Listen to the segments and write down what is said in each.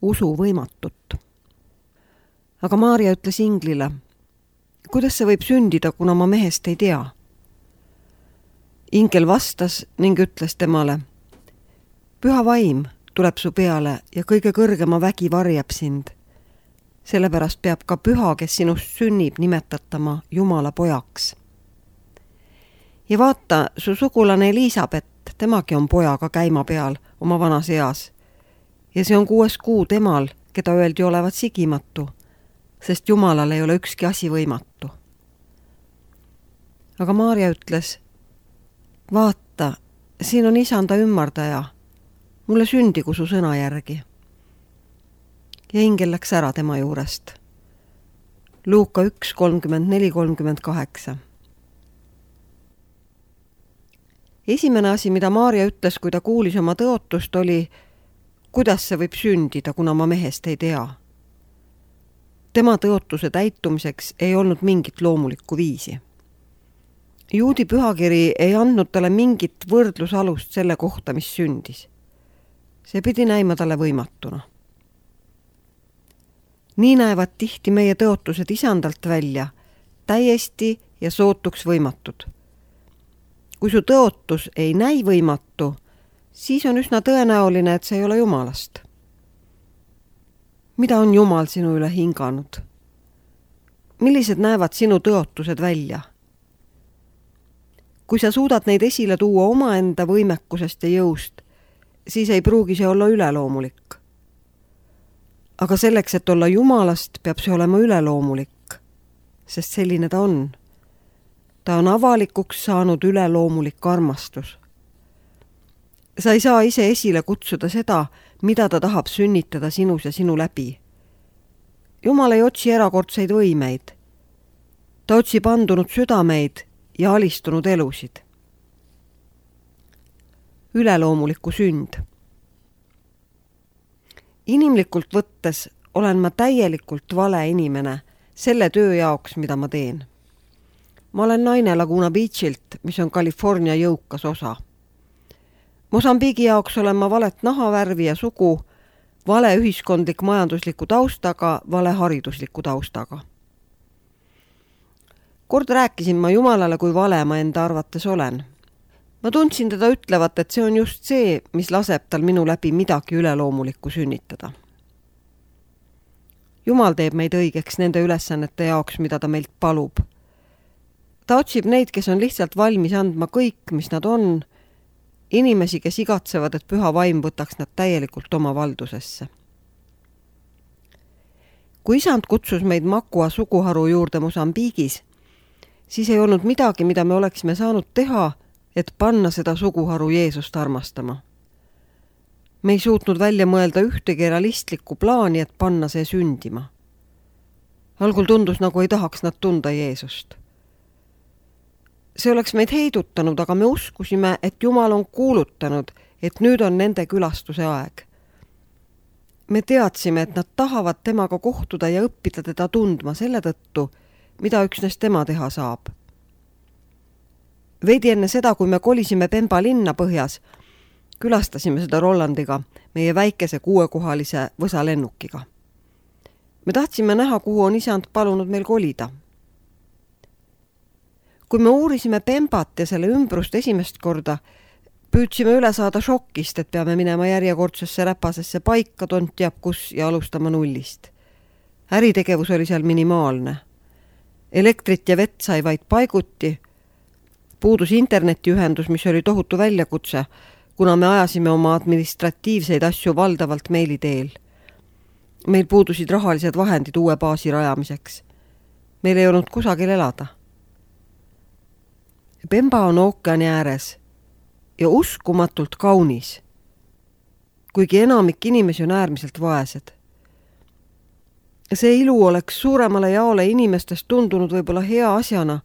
usu võimatut. Aga Maarja ütles inglile, kuidas see võib sündida, kuna ma mehest ei tea? Ingel vastas ning ütles temale, püha vaim tuleb su peale ja kõige kõrgema vägi varjab sind. Sellepärast peab ka püha, kes sinust sünnib, nimetatama Jumala pojaks. Ja vaata, su sugulane Elisabet, temagi on pojaga käima peal oma vanas eas. Ja see on 6 kuu temal, keda öeldi olevat sigimatu, sest Jumalal ei ole ükski asi võimatu. Aga Maarja ütles, vaata, siin on isanda ümmardaja, mulle sündigu su sõna järgi. Ja ingel läks ära tema juurest. Luuka 1:34-38. Esimene asi, mida Maarja ütles, kui ta kuulis oma tõotust, oli, kuidas see võib sündida, kuna ma mehest ei tea. Tema tõotuse täitumiseks ei olnud mingit loomulikku viisi. Juudi pühakiri ei andnud talle mingit võrdlusalust selle kohta, mis sündis. See pidi näima talle võimatuna. Nii näevad tihti meie tõotused isandalt välja, täiesti ja sootuks võimatud. Kui su tõotus ei näi võimatu, siis on üsna tõenäoline, et see ei ole Jumalast. Mida on Jumal sinu üle hinganud? Millised näevad sinu tõotused välja? Kui sa suudad neid esile tuua omaenda võimekusest ja jõust, siis ei pruugi see olla üleloomulik. Aga selleks, et olla Jumalast, peab see olema üleloomulik, sest selline ta on. Ta on avalikuks saanud üleloomulik armastus. Sa ei saa ise esile kutsuda seda, mida ta tahab sünnitada sinus ja sinu läbi. Jumal ei otsi erakordseid võimeid. Ta otsib andunud südameid ja alistunud elusid. Üleloomuliku sünd. Inimlikult võttes olen ma täielikult vale inimene selle töö jaoks, mida ma teen. Ma olen naine Laguna Beachilt, mis on California jõukas osa. Mosambiigi jaoks olen ma valet nahavärvi ja sugu, vale ühiskondlik majandusliku taustaga, vale haridusliku taustaga. Kord rääkisin ma Jumalale, kui vale ma enda arvates olen. Ma tundsin teda ütlevat, et see on just see, mis laseb tal minu läbi midagi üleloomulikku sünnitada. Jumal teeb meid õigeks nende ülesannete jaoks, mida ta meilt palub. Ta otsib neid, kes on lihtsalt valmis andma kõik, mis nad on, inimesi, kes igatsevad, et püha vaim võtaks nad täielikult oma valdusesse. Kui isand kutsus meid Makua suguharu juurde Mosambiigis, siis ei olnud midagi, mida me oleksime saanud teha, et panna seda suguharu Jeesust armastama. Me ei suutnud välja mõelda ühtegi realistlikku plaani, et panna see sündima. Algul tundus, nagu ei tahaks nad tunda Jeesust. See oleks meid heidutanud, aga me uskusime, et Jumal on kuulutanud, et nüüd on nende külastuse aeg. Me teadsime, et nad tahavad temaga kohtuda ja õppida teda tundma selle tõttu, mida üksnes tema teha saab. Veidi enne seda, kui me kolisime Pemba linna põhjas, külastasime seda Rollandiga, meie väikese 6-kohalise võsalennukiga. Me tahtsime näha, kuhu on isand palunud meil kolida. Kui me uurisime Pembat ja selle ümbrust esimest korda, püüdsime üle saada šokist, et peame minema järjekordsesse räpasesse paika, tont teab kus ja alustama nullist. Äritegevus oli seal minimaalne. Elektrit ja vett sai vaid paiguti. Puudus internetiühendus, mis oli tohutu väljakutse, kuna me ajasime oma administratiivseid asju valdavalt meili teel. Meil puudusid rahalised vahendid uue baasi rajamiseks. Meil ei olnud kusagil elada. Pemba on ookeani ääres ja uskumatult kaunis, kuigi enamik inimesi on äärmiselt vaesed. See ilu oleks suuremale jaole inimestest tundunud võib-olla hea asjana,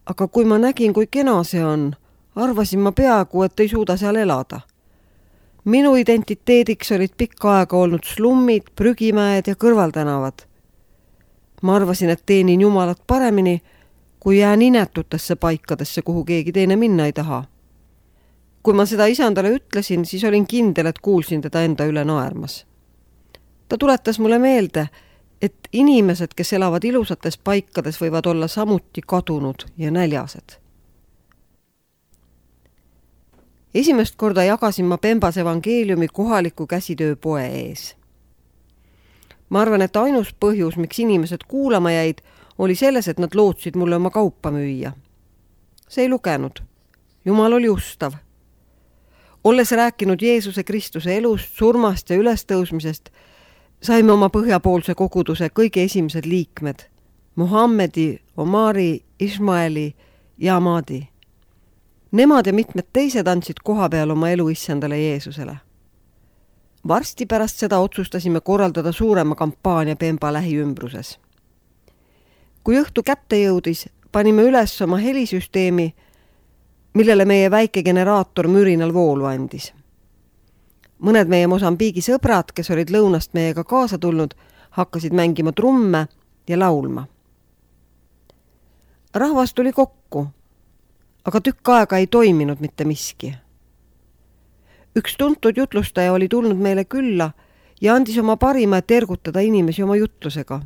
aga kui ma nägin, kui kena see on, arvasin ma peaaegu, et ei suuda seal elada. Minu identiteediks olid pikka aega olnud slummid, prügimäed ja kõrvaltänavad. Ma arvasin, et teenin Jumalat paremini, kui jään inetutesse paikadesse, kuhu keegi teine minna ei taha. Kui ma seda isandale ütlesin, siis olin kindel, et kuulsin teda enda üle naermas. Ta tuletas mulle meelde, et inimesed, kes elavad ilusates paikades, võivad olla samuti kadunud ja näljased. Esimest korda jagasin ma Pembas evangeeliumi kohaliku käsitööpoe ees. Ma arvan, et ainus põhjus, miks inimesed kuulama jäid, oli selles, et nad lootsid mulle oma kaupa müüa. See ei lugenud. Jumal oli ustav. Olles rääkinud Jeesuse Kristuse elust, surmast ja ülestõusmisest, saime oma põhjapoolse koguduse kõige esimesed liikmed. Muhammedi, Omari, Ismaeli ja Amadi. Nemad ja mitmed teised andsid koha peal oma elu issandale Jeesusele. Varsti pärast seda otsustasime korraldada suurema kampaania Pemba lähiümbruses. Kui õhtu kätte jõudis, panime üles oma helisüsteemi, millele meie väike generaator mürinal voolu andis. Mõned meie Mosambiigi sõbrad, kes olid lõunast meiega kaasa tulnud, hakkasid mängima trumme ja laulma. Rahvas tuli kokku, aga tükk aega ei toiminud mitte miski. Üks tuntud jutlustaja oli tulnud meile külla ja andis oma parima, et ergutada inimesi oma jutlusega.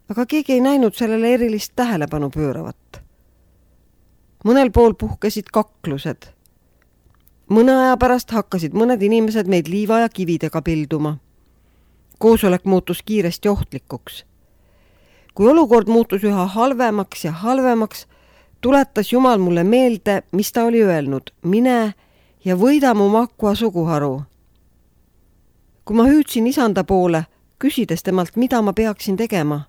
Aga keegi ei näinud sellele erilist tähelepanu pööravat. Mõnel pool puhkesid kaklused. Mõne aja pärast hakkasid mõned inimesed meid liiva ja kividega pilduma. Koosolek muutus kiiresti ohtlikuks. Kui olukord muutus üha halvemaks ja halvemaks, tuletas Jumal mulle meelde, mis ta oli öelnud: mine ja võida mu Makua suguharu. Kui ma hüüdsin isanda poole, küsides temalt, mida ma peaksin tegema,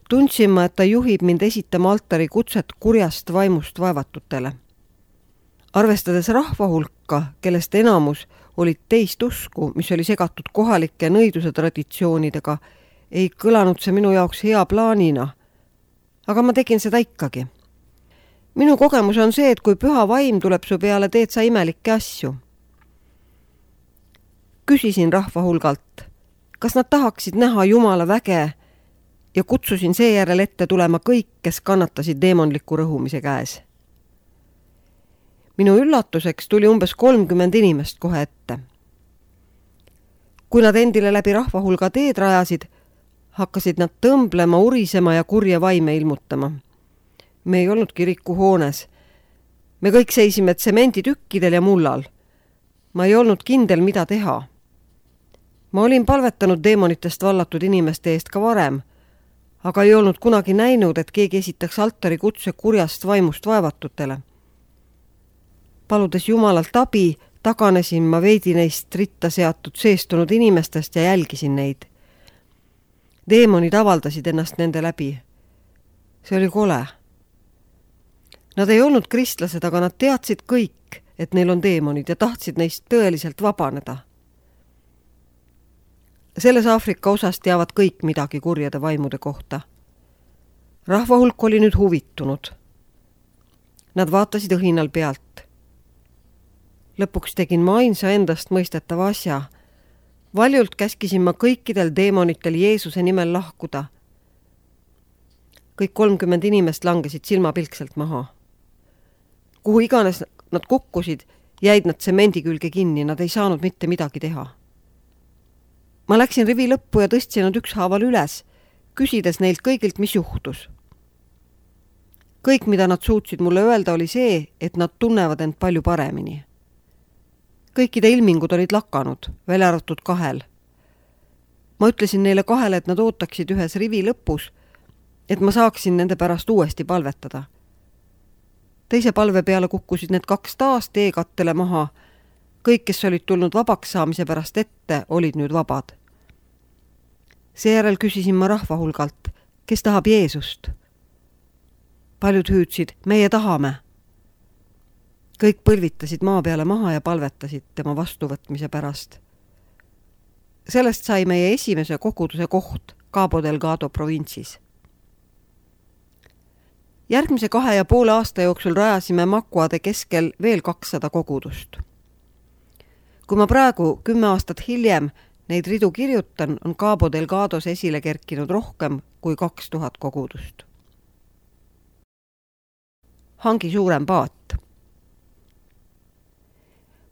tundsin ma, et ta juhib mind esitama altari kutset kurjast vaimust vaevatutele. Arvestades rahva hulka, kellest enamus olid teist usku, mis oli segatud kohalike nõiduse traditsioonidega, ei kõlanud see minu jaoks hea plaanina. Aga ma tegin seda ikkagi. Minu kogemus on see, et kui püha vaim tuleb su peale, teed sa imelikke asju. Küsisin rahva hulgalt, kas nad tahaksid näha Jumala väge ja kutsusin seejärel ette tulema kõik, kes kannatasid deemonliku rõhumise käes. Minu üllatuseks tuli umbes 30 inimest kohe ette. Kui nad endile läbi rahva hulga teed rajasid, hakkasid nad tõmblema, urisema ja kurja vaime ilmutama. Me ei olnud kirikuhoones. Me kõik seisime tsemenditükkidel ja mullal. Ma ei olnud kindel, mida teha. Ma olin palvetanud deemonitest vallatud inimeste eest ka varem, aga ei olnud kunagi näinud, et keegi esitaks altari kutse kurjast vaimust vaevatutele. Paludes Jumalalt abi, taganesin ma veidi neist ritta seatud seestunud inimestest ja jälgisin neid. Deemonid avaldasid ennast nende läbi. See oli kole. Nad ei olnud kristlased, aga nad teadsid kõik, et neil on deemonid ja tahtsid neist tõeliselt vabaneda. Selles Aafrika osas teavad kõik midagi kurjade vaimude kohta. Rahva hulk oli nüüd huvitunud. Nad vaatasid õhinal pealt. Lõpuks tegin ma ainsa endast mõistetava asja. Valjult käskisin ma kõikidel deemonitel Jeesuse nimel lahkuda. Kõik 30 inimest langesid silmapilkselt maha. Kuhu iganes nad kukkusid, jäid nad tsemendi külge kinni, nad ei saanud mitte midagi teha. Ma läksin rivi lõppu ja tõstsin nad ükshaaval üles, küsides neilt kõigilt, mis juhtus. Kõik, mida nad suutsid mulle öelda, oli see, et nad tunnevad end palju paremini. Kõikide ilmingud olid lakanud, välja arvatud 2. Ma ütlesin neile 2, et nad ootaksid ühes rivi lõpus, et ma saaksin nende pärast uuesti palvetada. Teise palve peale kukkusid need 2 taas teekattele maha. Kõik, kes olid tulnud vabaks saamise pärast ette, olid nüüd vabad. Seejärel küsisin ma rahva hulgalt, kes tahab Jeesust. Paljud hüüdsid, meie tahame. Kõik põlvitasid maa peale maha ja palvetasid tema vastuvõtmise pärast. Sellest sai meie esimese koguduse koht Cabo Delgado provintsis. Järgmise 2,5 aasta jooksul rajasime Makuade keskel veel 200 kogudust. Kui ma praegu 10 aastat hiljem neid ridu kirjutan, on Cabo Delgados esile kerkinud rohkem kui 2000 kogudust. Hangi suurem paat.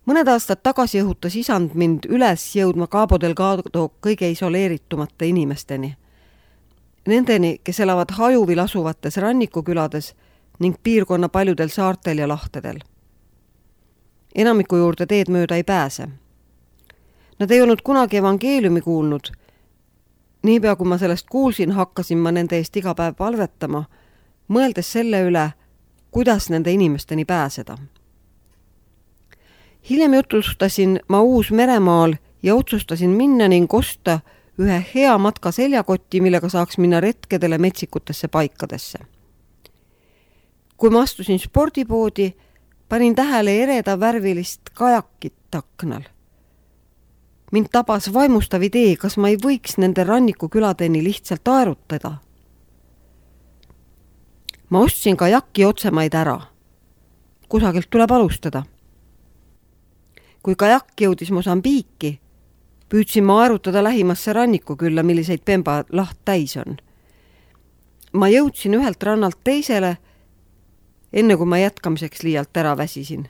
Mõned aastad tagasi õhutas isand mind üles jõudma Cabo Delgado kõige isoleeritumate inimesteni. Nendeni, kes elavad hajuvil asuvates rannikukülades ning piirkonna paljudel saartel ja lahtedel. Enamiku juurde teed mööda ei pääse. Nad ei olnud kunagi evangeeliumi kuulnud. Niipea kui ma sellest kuulsin, hakkasin ma nende eest iga päev palvetama, mõeldes selle üle, kuidas nende inimesteni pääseda. Hiljem jutustasin ma Uus-Meremaal ja otsustasin minna ning osta ühe hea matka seljakotti, millega saaks minna retkedele metsikutesse paikadesse. Kui ma astusin spordipoodi, panin tähele ereda värvilist kajakit aknal. Mind tabas vaimustav idee, kas ma ei võiks nende rannikuküladeni lihtsalt aerutada. Ma ostsin kajaki otsemaid ära. Kusagilt tuleb alustada. Kui kajak jõudis Mosambiiki, püüdsin ma aerutada lähimasse rannikukülla, milliseid Pemba laht täis on. Ma jõudsin ühelt rannalt teisele, enne kui ma jätkamiseks liialt ära väsisin.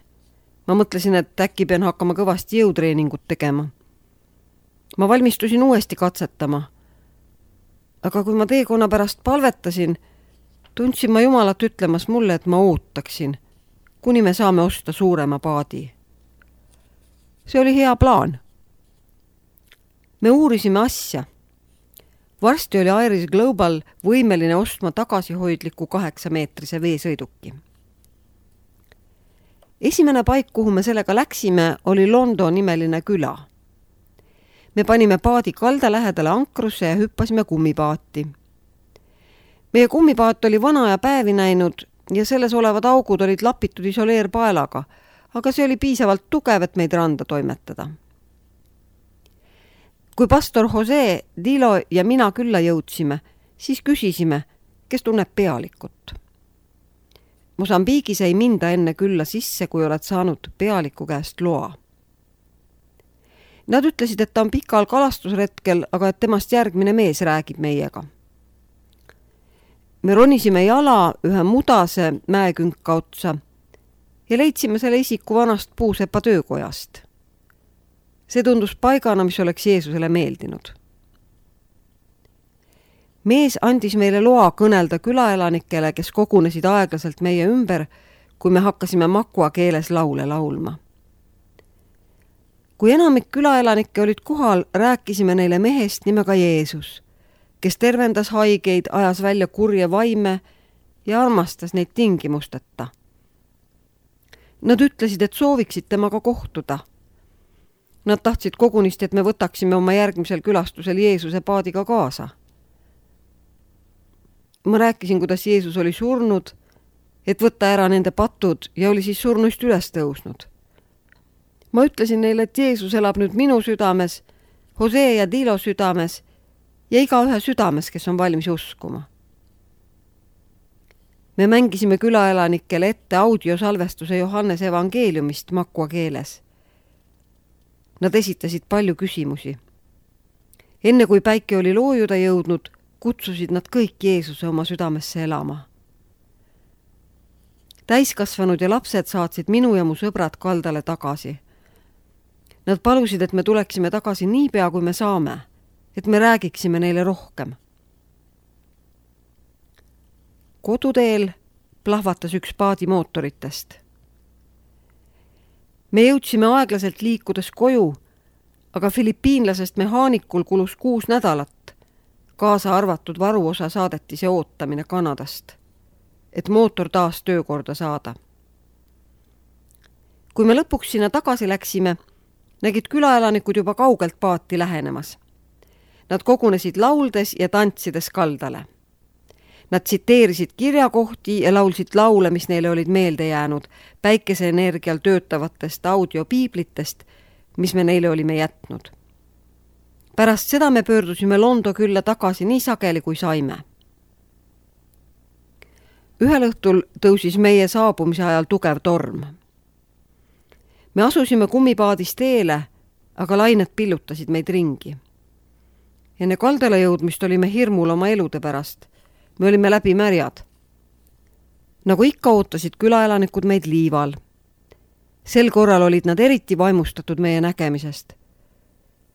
Ma mõtlesin, et äkki pean hakkama kõvasti jõutreeningut tegema. Ma valmistusin uuesti katsetama. Aga kui ma teekonna pärast palvetasin, tundsin ma Jumalat ütlemas mulle, et ma ootaksin, kuni me saame osta suurema paadi. See oli hea plaan. Me uurisime asja. Varsti oli Iris Global võimeline ostma tagasihoidliku 8-meetrise veesõiduki. Esimene paik, kuhu me sellega läksime, oli Londo nimeline küla. Me panime paadi kalda lähedale ankrusse ja hüppasime kummipaati. Meie kummipaat oli vana ja päevi näinud ja selles olevad augud olid lapitud isoleerpaelaga, aga see oli piisavalt tugev, et meid randa toimetada. Kui pastor Jose, Dilo ja mina külla jõudsime, siis küsisime, kes tunneb pealikut. Mosambiigis ei minda enne külla sisse, kui oled saanud pealiku käest loa. Nad ütlesid, et ta on pikal kalastusretkel, aga et temast järgmine mees räägib meiega. Me ronisime jala ühe mudase mäekünka otsa ja leidsime selle isiku vanast puusepa töökojast. See tundus paigana, mis oleks Jeesusele meeldinud. Mees andis meile loa kõnelda külaelanikele, kes kogunesid aeglaselt meie ümber, kui me hakkasime makua keeles laule laulma. Kui enamik külaelanikke olid kohal, rääkisime neile mehest nimega Jeesus, kes tervendas haigeid, ajas välja kurje vaime ja armastas neid tingimusteta. Nad ütlesid, et sooviksid temaga kohtuda. Nad tahtsid kogunisti, et me võtaksime oma järgmisel külastusel Jeesuse paadiga kaasa. Ma rääkisin, kuidas Jeesus oli surnud, et võtta ära nende patud ja oli siis surnuist üles tõusnud. Ma ütlesin neile, et Jeesus elab nüüd minu südames, Jose ja Dilo südames ja igaühe südames, kes on valmis uskuma. Me mängisime külaelanikele ette audiosalvestuse Johannes evangeeliumist makua keeles. Nad esitasid palju küsimusi. Enne kui päike oli loojuda jõudnud, kutsusid nad kõik Jeesuse oma südamesse elama. Täiskasvanud ja lapsed saatsid minu ja mu sõbrad kaldale tagasi. Nad palusid, et me tuleksime tagasi niipea, kui me saame, et me räägiksime neile rohkem. Koduteel plahvatas üks paadi mootoritest. Me jõudsime aeglaselt liikudes koju, aga filipiinlasest mehaanikul kulus 6 nädalat, kaasa arvatud varuosa saadetise ootamine Kanadast, et mootor taas töökorda saada. Kui me lõpuks sinna tagasi läksime, nägid külaelanikud juba kaugelt paati lähenemas. Nad kogunesid lauldes ja tantsides kaldale. Nad tsiteerisid kirjakohti ja laulsid laule, mis neile olid meelde jäänud, päikeseenergial töötavatest audiopiiblitest, mis me neile olime jätnud. Pärast seda me pöördusime Londo külla tagasi nii sageli, kui saime. Ühel õhtul tõusis meie saabumise ajal tugev torm. Me asusime kummipaadist teele, aga lained pillutasid meid ringi. Enne kaldale jõudmist olime hirmul oma elude pärast. Me olime läbi märjad. Nagu ikka ootasid külaelanikud meid liival. Sel korral olid nad eriti vaimustatud meie nägemisest.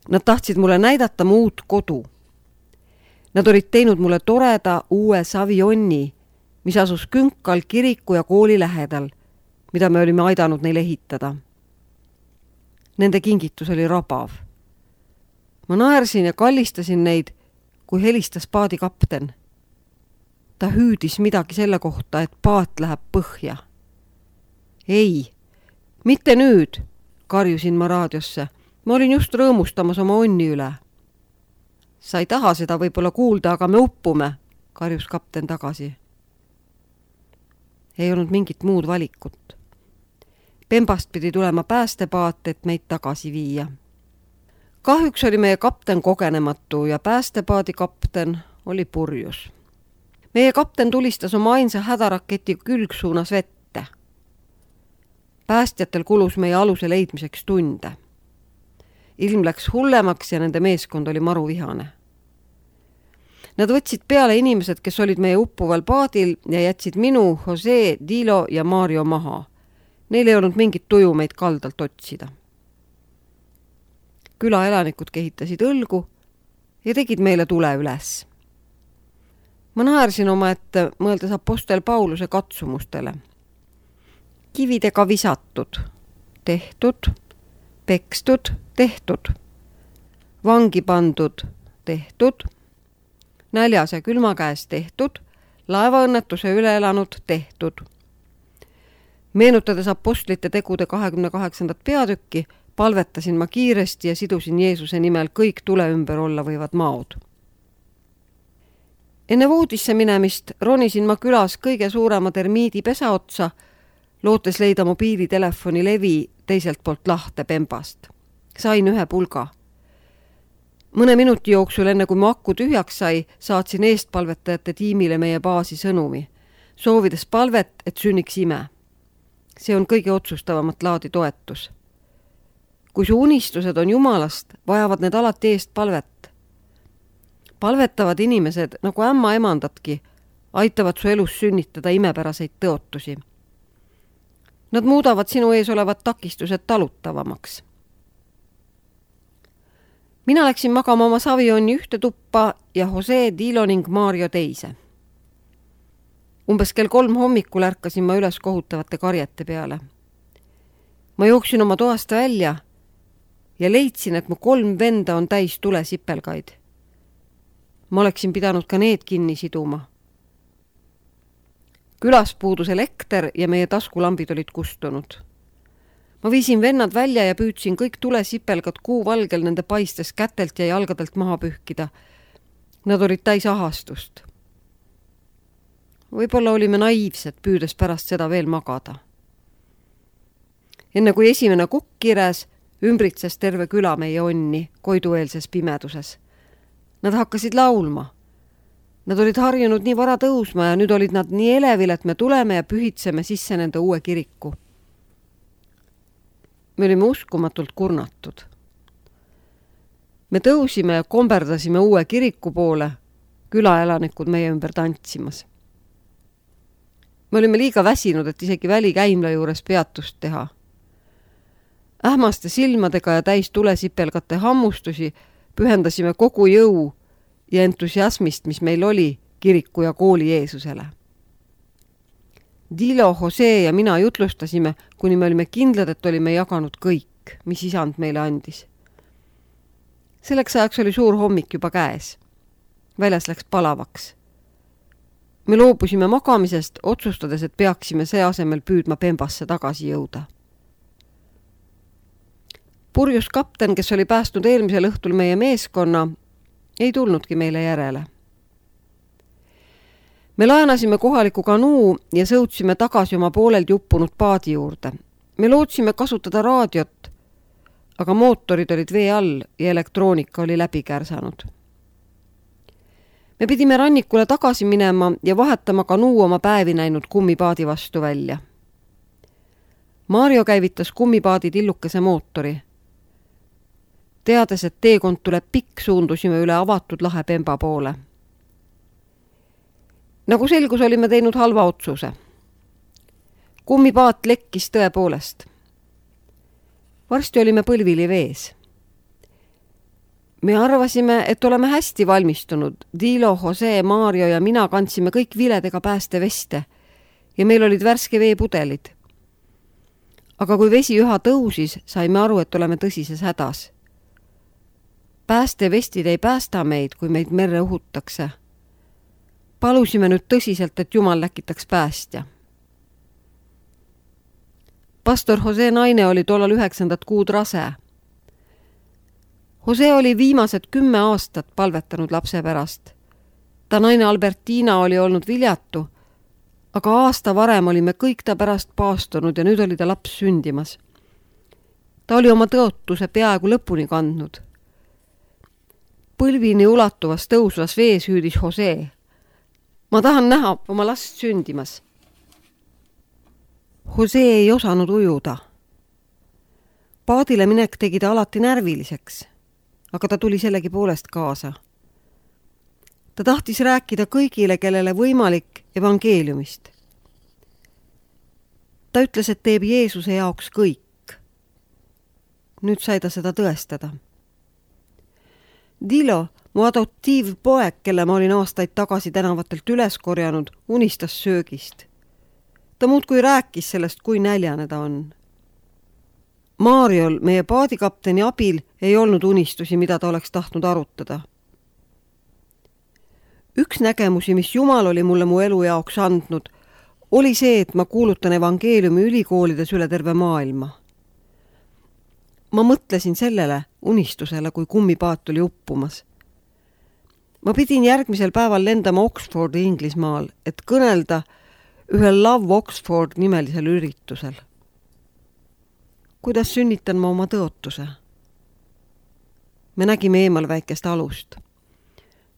Nad tahtsid mulle näidata mu uut kodu. Nad olid teinud mulle toreda uue savionni, mis asus künkal kiriku ja kooli lähedal, mida me olime aidanud neil ehitada. Nende kingitus oli rabav. Ma naersin ja kallistasin neid, kui helistas paadikapten. Ta hüüdis midagi selle kohta, et paat läheb põhja. Ei, mitte nüüd, karjusin ma raadiosse. Ma olin just rõõmustamas oma onni üle. Sa ei taha seda võib-olla kuulda, aga me uppume, karjus kapten tagasi. Ei olnud mingit muud valikut. Pembast pidi tulema päästepaat, et meid tagasi viia. Kahjuks oli meie kapten kogenematu ja päästepaadi kapten oli purjus. Meie kapten tulistas oma ainsa hädaraketi külgsuunas vette. Päästjatel kulus meie aluse leidmiseks tunde. Ilm läks hullemaks ja nende meeskond oli maruvihane. Nad võtsid peale inimesed, kes olid meie uppuval paadil ja jätsid minu, Jose, Dilo ja Mario maha. Neil ei olnud mingit tuju meid kaldalt otsida. Külaelanikud kehitasid õlgu ja tegid meile tule üles. Ma naersin oma ette, mõeldes apostel Pauluse katsumustele. Kividega visatud, tehtud, pekstud, tehtud, vangi pandud, tehtud, näljas ja külma käes tehtud, laevaõnnetuse üle elanud, tehtud. Meenutades apostlite tegude 28. peatükki, palvetasin ma kiiresti ja sidusin Jeesuse nimel kõik tule ümber olla võivad maod. Enne voodisse minemist ronisin ma külas kõige suurema termiidi pesa otsa, lootes leida mobiilitelefoni levi teiselt poolt lahte Pembast. Sain ühe pulga. Mõne minuti jooksul, enne kui mu akku tühjaks sai, saatsin eestpalvetajate tiimile meie baasi sõnumi, soovides palvet, et sünniks ime. See on kõige otsustavamat laadi toetus. Kui su unistused on Jumalast, vajavad need alati eest palvet. Palvetavad inimesed, nagu ämma emandatki, aitavad su elus sünnitada imepäraseid tõotusi. Nad muudavad sinu ees olevad takistused talutavamaks. Mina läksin magama oma savionni ühte tuppa ja Jose, Dilo ning Mario teise. Umbes kell 3 hommikul ärkasin ma üles kohutavate karjete peale. Ma jooksin oma toast välja ja leidsin, et mu 3 venda on täis tulesipelgaid. Ma oleksin pidanud ka need kinni siduma. Külas puudus elekter ja meie taskulambid olid kustunud. Ma viisin vennad välja ja püüdsin kõik tulesipelgad kuuvalgel nende paistes kätelt ja jalgadelt maha pühkida. Nad olid täis ahastust. Võib-olla olime naiivsed, püüdes pärast seda veel magada. Enne kui esimene kukk kires, ümbritses terve küla meie onni koidueelses pimeduses. Nad hakkasid laulma. Nad olid harjunud nii vara tõusma ja nüüd olid nad nii elevil, et me tuleme ja pühitseme sisse nende uue kiriku. Me olime uskumatult kurnatud. Me tõusime ja komberdasime uue kiriku poole, külaelanikud meie ümber tantsimas. Me olime liiga väsinud, et isegi välikäimla juures peatust teha. Ähmaste silmadega ja täis tulesipelgate hammustusi pühendasime kogu jõu ja entusiasmist, mis meil oli kiriku ja kooli Jeesusele. Dilo, Jose ja mina jutlustasime, kuni me olime kindlad, et olime jaganud kõik, mis isand meile andis. Selleks ajaks oli suur hommik juba käes. Väljas läks palavaks. Me loobusime magamisest, otsustades, et peaksime see asemel püüdma Pembasse tagasi jõuda. Purjus kapten, kes oli päästnud eelmisel õhtul meie meeskonna, ei tulnudki meile järele. Me laenasime kohaliku kanuu ja sõudsime tagasi oma poolelt uppunud paadi juurde. Me lootsime kasutada raadiot, aga mootorid olid vee all ja elektroonika oli läbi kärsanud. Me pidime rannikule tagasi minema ja vahetama kanuu oma päevi näinud kummipaadi vastu välja. Mario käivitas kummipaadi tillukese mootori. Teades, et teekond tuleb pikk, suundusime üle avatud lahe Pemba poole. Nagu selgus, olime teinud halva otsuse. Kummipaat lekkis tõepoolest. Varsti olime põlvili vees. Me arvasime, et oleme hästi valmistunud. Dilo, Jose, Mario ja mina kandsime kõik viledega päästeveste ja meil olid värske veepudelid. Aga kui vesi üha tõusis, saime aru, et oleme tõsises hädas. Päästevestid ei päästa meid, kui meid merre uhutakse. Palusime nüüd tõsiselt, et Jumal läkitaks päästja. Pastor Jose naine oli tollal 9. kuud rase. Jose oli viimased 10 aastat palvetanud lapse pärast. Ta naine Albertina oli olnud viljatu, aga aasta varem olime kõik ta pärast paastunud ja nüüd oli ta laps sündimas. Ta oli oma tõotuse peaaegu lõpuni kandnud. Põlvini ulatuvas tõusvas vees hüüdis Jose. Ma tahan näha oma last sündimas. Jose ei osanud ujuda. Paadile minek tegi ta alati närviliseks, aga ta tuli sellegi poolest kaasa. Ta tahtis rääkida kõigile, kellele võimalik evangeeliumist. Ta ütles, et teeb Jeesuse jaoks kõik. Nüüd sai ta seda tõestada. Dilo, mu adoptiivpoeg, kelle ma olin aastaid tagasi tänavatelt üles korjanud, unistas söögist. Ta muudkui rääkis sellest, kui näljane ta on. Mariol, meie paadikapteni abil, ei olnud unistusi, mida ta oleks tahtnud arutada. Üks nägemusi, mis Jumal oli mulle mu elu jaoks andnud, oli see, et ma kuulutan evangeeliumi ülikoolides üle terve maailma. Ma mõtlesin sellele unistusele, kui kummipaat oli uppumas. Ma pidin järgmisel päeval lendama Oxfordi Inglismaal, et kõnelda ühel Love Oxford nimelisel üritusel. Kuidas sünnitan ma oma tõotuse? Me nägime eemal väikest alust.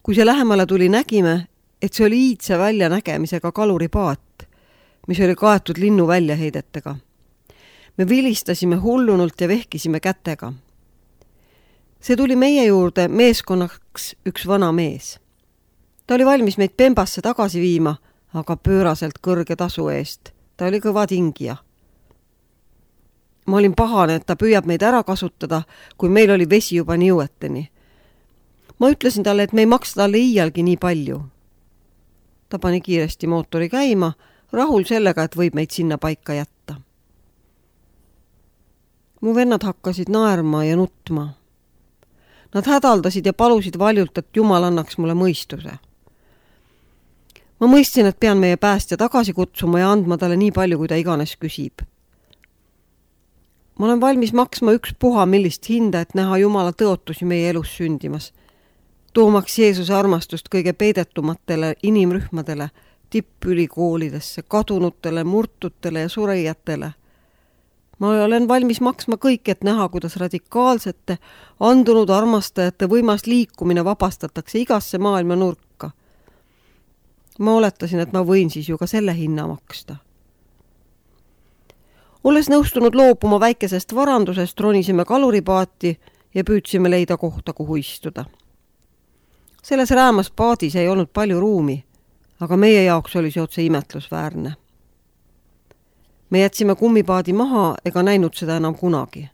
Kui see lähemale tuli, nägime, et see oli iidse väljanägemisega kaluripaat, mis oli kaetud linnu väljaheidetega. Me vilistasime hullunult ja vehkisime kätega. See tuli meie juurde meeskonnaks üks vana mees. Ta oli valmis meid Pembasse tagasi viima, aga pööraselt kõrge tasu eest. Ta oli kõva tingija. Ma olin pahane, et ta püüab meid ära kasutada, kui meil oli vesi juba nii jõueteni. Ma ütlesin talle, et me ei maksa talle iialgi nii palju. Ta pani kiiresti mootori käima, rahul sellega, et võib meid sinna paika jätta. Mu vennad hakkasid naerma ja nutma. Nad hädaldasid ja palusid valjult, et Jumal annaks mulle mõistuse. Ma mõistsin, et pean meie päästja tagasi kutsuma ja andma talle nii palju, kui ta iganes küsib. Ma olen valmis maksma ükspuha millist hinda, et näha Jumala tõotusi meie elus sündimas, toomaks Jeesuse armastust kõige peidetumatele inimrühmadele, tippülikoolidesse, kadunutele, murtutele ja surijatele. Ma olen valmis maksma kõik, et näha, kuidas radikaalsete, andunud armastajate võimas liikumine vabastatakse igasse maailma nurka. Ma oletasin, et ma võin siis ju ka selle hinna maksta. Olles nõustunud loobuma väikesest varandusest, ronisime kaluripaati ja püüdsime leida kohta, kuhu istuda. Selles räämas paadis ei olnud palju ruumi, aga meie jaoks oli see otse imetlusväärne. Me jätsime kummipaadi maha ega näinud seda enam kunagi.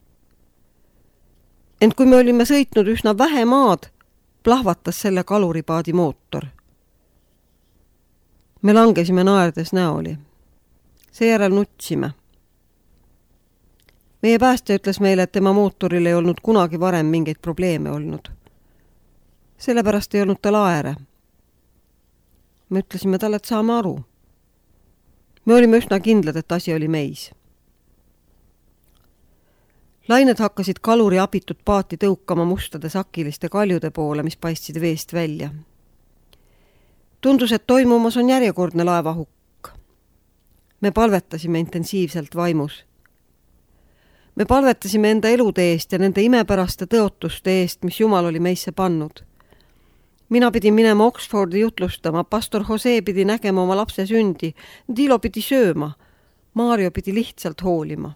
Ent kui me olime sõitnud üsna vähe maad, plahvatas selle kaluripaadi mootor. Me langesime naerdes näoli. Seejärel nutsime. Meie päästja ütles meile, et tema mootoril ei olnud kunagi varem mingeid probleeme olnud. Sellepärast ei olnud tal aere. Me ütlesime talle, et saame aru. Me olime üsna kindlad, et asi oli meis. Lained hakkasid kaluri abitud paati tõukama mustade sakiliste kaljude poole, mis paistsid veest välja. Tundus, et toimumas on järjekordne laevahukk. Me palvetasime intensiivselt vaimus. Me palvetasime enda elude eest ja nende imepäraste tõotuste eest, mis Jumal oli meisse pannud. Mina pidin minema Oxfordi jutlustama, pastor Jose pidi nägema oma lapse sündi, Dilo pidi sööma, Mario pidi lihtsalt hoolima.